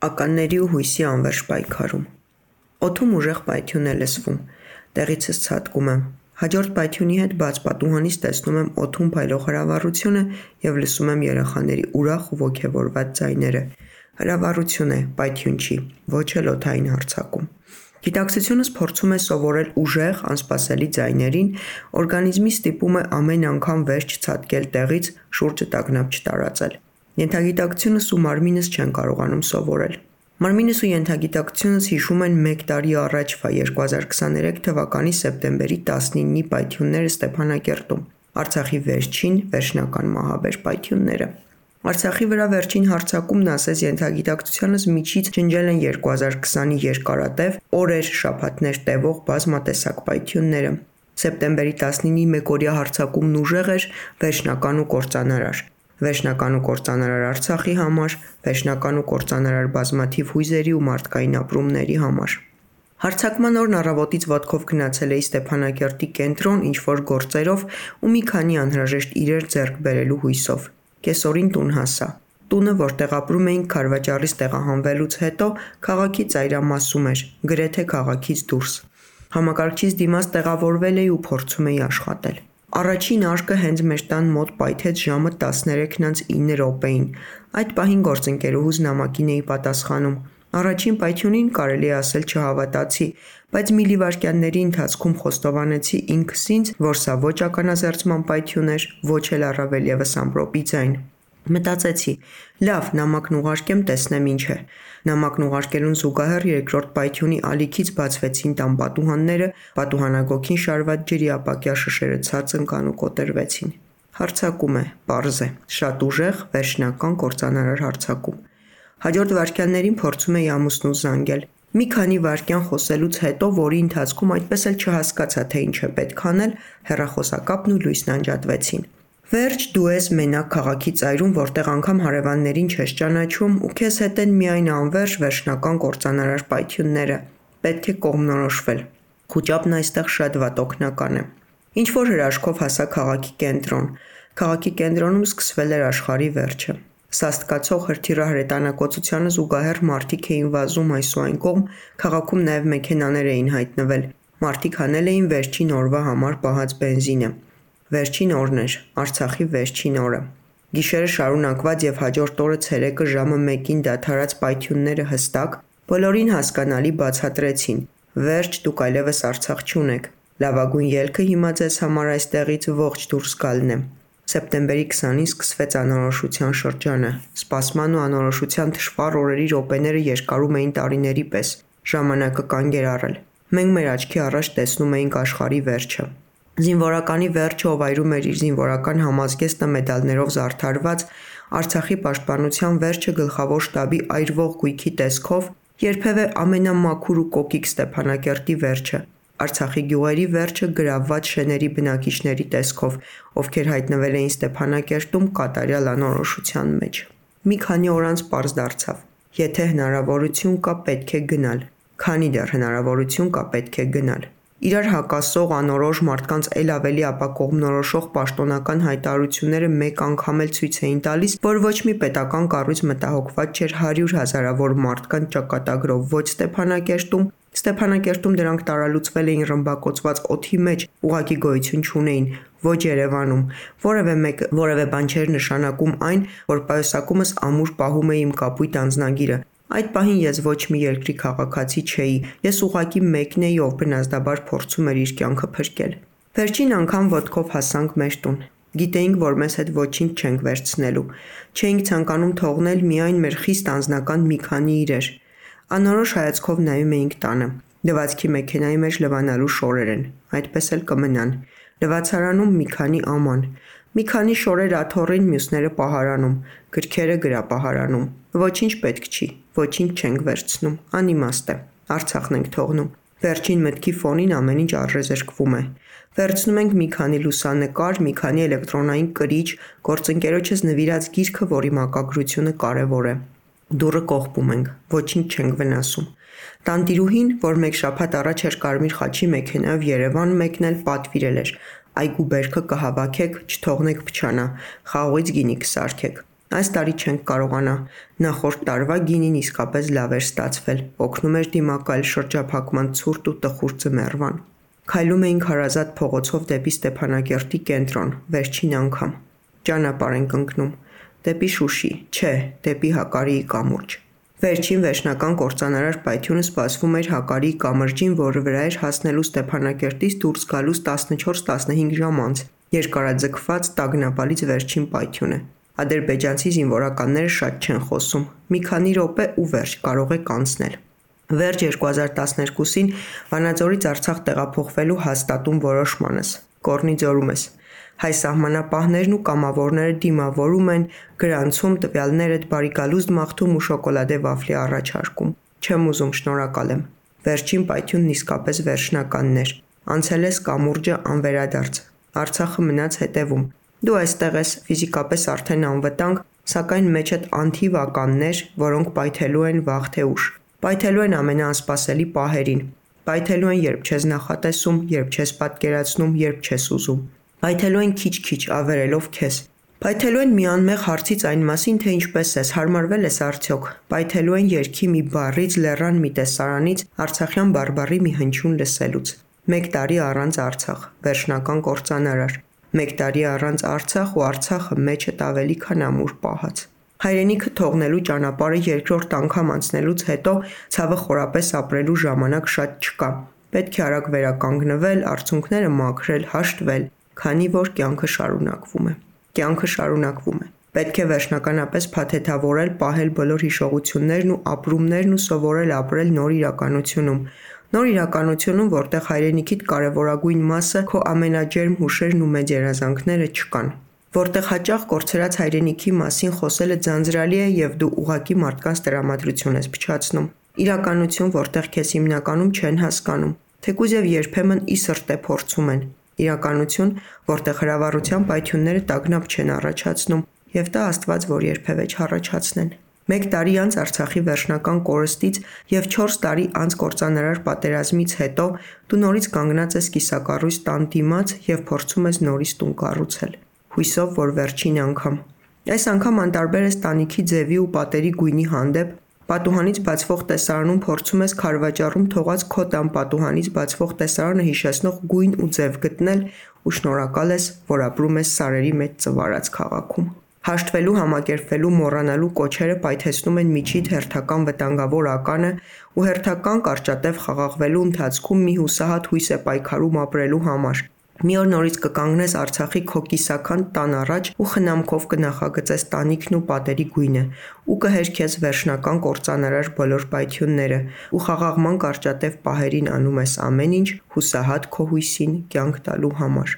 Ականների ու հույսի անվերջ պայքարում։ Օդում ուժեղ պայթյուն է լսվում, տեղիցս ցատկում եմ։ Հաջորդ պայթյունի հետ բաց պատուհանից տեսնում եմ օդում փայլող հրավառությունը և լսում եմ երեխաների ուրախ ու ոգևորված ձայները։ Հրավառություն է, պայթյուն չի, ոչ էլ օդային հարձակում։ Գիտակցությունս փորձում է սովորել ուժեղ, անսպասելի ձայներին, օրգանիզմի ստիպում է ամեն անգամ վերջ չցատկել տեղից, շուրջը տագնապ չտարածել։ Ենթագիտակցությունս ու մարմինս չեն կարողանում սովորել։ Մարմինս ու ենթագիտակցությունս հիշում են մեկ տարի առաջվա 2023 թվականի սեպտեմբերի 19-ի պայթյունները Ստեփանակերտում, Արցախի վերջնական մահաբեր պայթյունները։ Արցախի վրա վերջին հարձակումն ասես ենթագիտակցությանս միջից ջնջել են 2020-ի երկարատև, օրեր, շաբաթներ տևող բազմատեսակ պայթյունները։ Սեպտեմբերի 19-ի մեկօրյա հարձակումն ուժեղ էր, վերջնական ու կործանարար։ Վերջնական ու կործանարար Արցախի համար, վերջնական ու կործանարար բազմաթիվ հույզերի ու մարդկային ապրումների համար։ Հարձակման օրն առավոտից ոտքով գնացել էի Ստեփանակերտի կենտրոն ինչ-որ գործերով ու մի քանի անհրաժեշտ իրեր ձեռք բերելու հույսով։ Կեսօրին տուն հասա։ Տունը, որտեղ ապրում էինք Քարվաճառից տեղահանվելուց հետո, քաղաքի ծայրամասում էր, գրեթե քաղաքից դուրս։ Համակարգչից դիմաց տեղավորվել էի ու փորձում էի աշխատել։ Առաջին արկը հենց մեր տան մոտ պայթեց ժամը 13:09 Այդ պահին գործընկերուհուս նամակին էի պատասխանում։ Առաջին պայթյունին կարելի է ասել չհավատացի, բայց միլիվայրկյանների ընթացքում խոստովանեցի ինքս ինձ, որ սա ոչ ականազերծման պայթյուն էր, ոչ էլ առավել ևս ամպրոպի ձայն։ Մտածեցի՝ լավ, նամակն ուղարկեմ, տեսնեմ ինչ է։ Նամակն ուղարկելուն զուգահեռ երկրորդ պայթյունի ալիքից բացվեցին տան պատուհանները, պատուհանագոգին շարված ջրի ապակյա շշերը ցած ընկան ու կոտրվեցին։ Հարձակում է, պարզ է, շատ ուժեղ, վերջնական կործանարար հարձակում։ Հաջորդ վայրկյաններին փորձում էի ամուսնուս զանգել։ Մի քանի վայրկյան խոսելուց հետո, որի ընթացքում այդպես էլ չհասկացա, թե ինչ է պետք անել, հեռախոսակապն ու լույսն անջատվեցին։ Վերջ դու ես մենակ քաղաքի ծայրում, որտեղ անգամ հարևաններին չես ճանաչում ու քեզ հետ են միայն անվերջ վերջնական կործանարար պայթյունները։ Պետք է կողմնորոշվել։ Խուճապն այստեղ շատ վատ օգնական է։ Ինչ-որ հրաշքով հասա քաղաքի կենտրոն։ Քաղաքի կենտրոնում սկսվել էր աշխարհի վերջը։ Սաստկացող հրթիռահրետանակոծությանը զուգահեռ մարդիկ էին վազում այս ու այն կողմ, քաղաքում նաև մեքենաներ էին հայտնվել։ Մարդիկ հանել էին վերջին օրվա համար պահած բենզինը։ Վերջին օրն էր, Արցախի վերջին օրը։ Գիշերը շարունակված եւ հաջորդ օրը ցերեկը ժամը 1-ին դադարած պայթյունները հստակ, բոլորին հասկանալի բացատրեցին. վերջ դուք այլևս Արցախ չունեք։ Լավագույն ելքը հիմա ձեզ համար այստեղից ողջ դուրս գալն է։ Սեպտեմբերի 20-ին սկսվեց անորոշության շրջանը։ Սպասման ու անորոշության թշվառ օրերի րոպեները երկարում էին տարիների պես։ Ժամանակը կանգ էր առել։ Մենք մեր աչքի առաջ տեսնում էինք աշխարհի վերջը։ Զինվորականի վերջը, ով այրում էր իր զինվորական համազգեստը մեդալներով զարդարված, Արցախի պաշտպանության վերջը գլխավոր շտաբի այրվող գույքի տեսքով, երբևէ ամենամաքուր ու կոկիկ Ստեփանակերտի վերջը, Արցախի գյուղերի վերջը գրավված շեների բնակիչների տեսքով, ովքեր հայտնվել էին Ստեփանակերտում կատարյալ անորոշության մեջ։ Մի քանի օր անց պարզ դարձավ. եթե հնարավորություն կա, պետք է գնալ։ Քանի դեռ հնարավորություն կա, պետք է գնալ։ Իրար հակասող անորոշ մարդկանց էլ ավելի ապակողմնորոշող պաշտոնական հայտարարությունները մեկ անգամ էլ ցույց էին տալիս, որ ոչ մի պետական կառույց մտահոգված չէր 100 հազարավոր մարդկանց ճակատագրով ոչ Ստեփանակերտում դրանք տարալուծվել էին ռմբակոծված օդի մեջ, ուղղակի գոյություն չունեին, ոչ Երևանում, որևէ բան չէր նշանակում այն, որ պայուսակումս ամուր պահում էի իմ կապույտ անձնագիրը։ Այդ պահին ես ոչ մի երկրի քաղաքացի չէի, ես ուղղակի մեկն էի, ով բնազդաբար փորձում էր իր կյանքը փրկել։ Վերջին անգամ ոտքով հասանք մեր տուն։ Գիտեինք, որ մեզ հետ ոչինչ չենք վերցնելու։ Չէինք ցանկանում թողնել միայն մեր խիստ անձնական մի քանի իրեր։ Անորոշ հայացքով նայում էինք տանը։ Լվացքի մեքենայի մեջ լվանալու շորեր են, այդպես էլ կմնան։ Լվացարանում մի քանի աման։ Մի քանի շորեր աթոռին, մյուսները պահարանում, գրքերը գրապահարանում։ Ոչինչ պետք չի, ոչինչ չենք վերցնում, անիմաստ է։ Արցախն ենք թողնում։ Վերջին մտքի ֆոնին ամեն ինչ արժեզրկվում է։ Վերցնում ենք մի քանի լուսանկար, մի քանի էլեկտրոնային կրիչ, գործընկերոջս նվիրած գիրքը, որի մակագրությունը կարևոր է։ Դուռը կողպում ենք, ոչինչ չենք վնասում։ Տանտիրուհին, որ մեկ շաբաթ առաջ էր Կարմիր խաչի մեքենայով Երևան մեկնել, պատվիրել էր. այգու բերքը կհավաքեք, չթողնեք փչանա, խաղողից գինի կսարքեք։ Այս տարի չենք կարողանա, նախորդ տարվա գինին իսկապես լավ էր ստացվել, օգնում էր դիմակայել շրջափակման ցուրտ ու տխուր ձմեռվան։ Քայլում էինք հարազատ փողոցով դեպի Ստեփանակերտի կենտրոն, վերջին անգամ։ Ճանապարհ ենք ընկնում, դեպի Շուշի, չէ, դեպի Հակարիի կամուրջ։ Վերջին վերջնական կործանարար պայթյունը սպասվում էր Հակարիի կամրջին, որը վրա էր հասնելու Ստեփանակերտից դուրս գալուց 14-15 ժամ անց, երկարաձգված տագնապալից վերջին պայթյունը։ Ադրբեջանցի զինվորականները շատ չեն խոսում, մի քանի րոպե ու վերջ, կարող եք անցնել։ Վերջ 2012-ին Վանաձորից Արցախ տեղափոխվելու հաստատում որոշմանս, Կորնի ձորում ես։ Հայ սահմանապահներն ու կամավորները դիմավորում են, գրանցում, տվյալներդ բարիկալուստ մաղթում ու շոկոլադե վաֆլի առաջարկում։ Չեմ ուզում, շնորհակալ եմ։ Վերջին պայթյունն իսկապես վերջնականն էր։ Անցել ես կամուրջը անվերադարձ։ Արցախը մնաց հետևում։ Դու այստեղ ես ֆիզիկապես արդեն անվտանգ, սակայն մեջդ անթիվ ականներ, որոնք պայթելու են վաղ թե ուշ։ Պայթելու են ամենաանսպասելի պահերին։ Պայթելու են, երբ չես նախատեսում, երբ չես պատկերացնում, երբ չես ուզում։ Պայթելու են քիչ-քիչ ավերելով քեզ։ Պայթելու են մի անմեղ հարցից այն մասին, թե ինչպես ես, հարմարվել ես արդյոք։ Պայթելու են երգի մի բառից, լեռան մի տեսարանից, արցախյան բարբառի մի հնչյուն լսելուց։ 1 տարի առանց Արցախ, վերջնական կործանարար։ 1 տարի առանց Արցախ ու Արցախը մեջդ ավելի քան ամուր պահած։ Հայրենիքը թողնելու ճանապարհը երկրորդ անգամ անցնելուց հետո ցավը խորապես ապրելու ժամանակ շատ չկա։ Պետք է արագ վերականգնվել, արցունքները մաքրել, հաշտվել, քանի որ կյանքը շարունակվում է։ Կյանքը շարունակվում է։ Պետք է վերջնականապես փաթեթավորել, պահել բոլոր հիշողություններն ու ապրումներն ու սովորել ապրել նոր իրականությունում։ Նոր իրականությունում, որտեղ հայրենիքիդ կարևորագույն մասը, քո ամենաջերմ հուշերն ու մեծ երազանքները չկան։ Որտեղ հաճախ կորցրած հայրենիքի մասին խոսելը ձանձրալի է եւ դու ուղղակի մարդկանց տրամադրություն ես փչացնում։ Իրականություն, որտեղ քեզ հիմնականում չեն հասկանում, թեկուզ եւ երբեմն ի սրտե փորձում են։ Իրականություն, որտեղ հրավառության պայթյունները տագնապ չեն առաջացնում եւ տա Աստված, որ երբևէ չառաջացնեն։ 1 տարի անց Արցախի վերջնական կորստից եւ 4 տարի անց կործանարար պատերազմից հետո դու նորից կանգնած ես կիսակառույց տան դիմաց եւ փորձում ես նորից տուն կառուցել։ Հույսով, որ վերջին անգամ։ Այս անգամ անտարբեր ես տանիքի ձևի ու պատերի գույնի հանդեպ, պատուհանից բացվող տեսարանում փորձում ես քարվաճառում թողած քո տան պատուհանից բացվող տեսարանը հիշեցնող գույն ու ձև գտնել ու շնորհակալ ես, որ ապրում ես սարերի մեջ ծվարած քաղաքում։ Հաշտվելու, համակերպվելու, մոռանալու կոչերը պայթեցնում են միջիդ հերթական վտանգավոր ականը ու հերթական կարճատև խաղաղվելու ընթացքում մի հուսահատ հույս է պայքարում ապրելու համար։ Մի օր նորից կկանգնես Արցախի քո կիսաքանդ տան առաջ ու խնամքով կնախագծես տանիքն ու պատերի գույնը ու կհերքես վերջնական կործանարար բոլոր պայթյունները ու խաղաղման կարճատև պահերին անում ես ամեն ինչ հուսահատ քո հույսին կյանք տալու համար։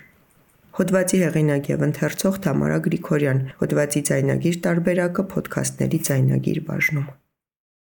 Հոդվածի հեղինակ եւ ընթերցող Թամարա Գրիգորյան, հոդվածի ձայնագիր տարբերակը Փոդքասթների ձայնագիր բաժնում։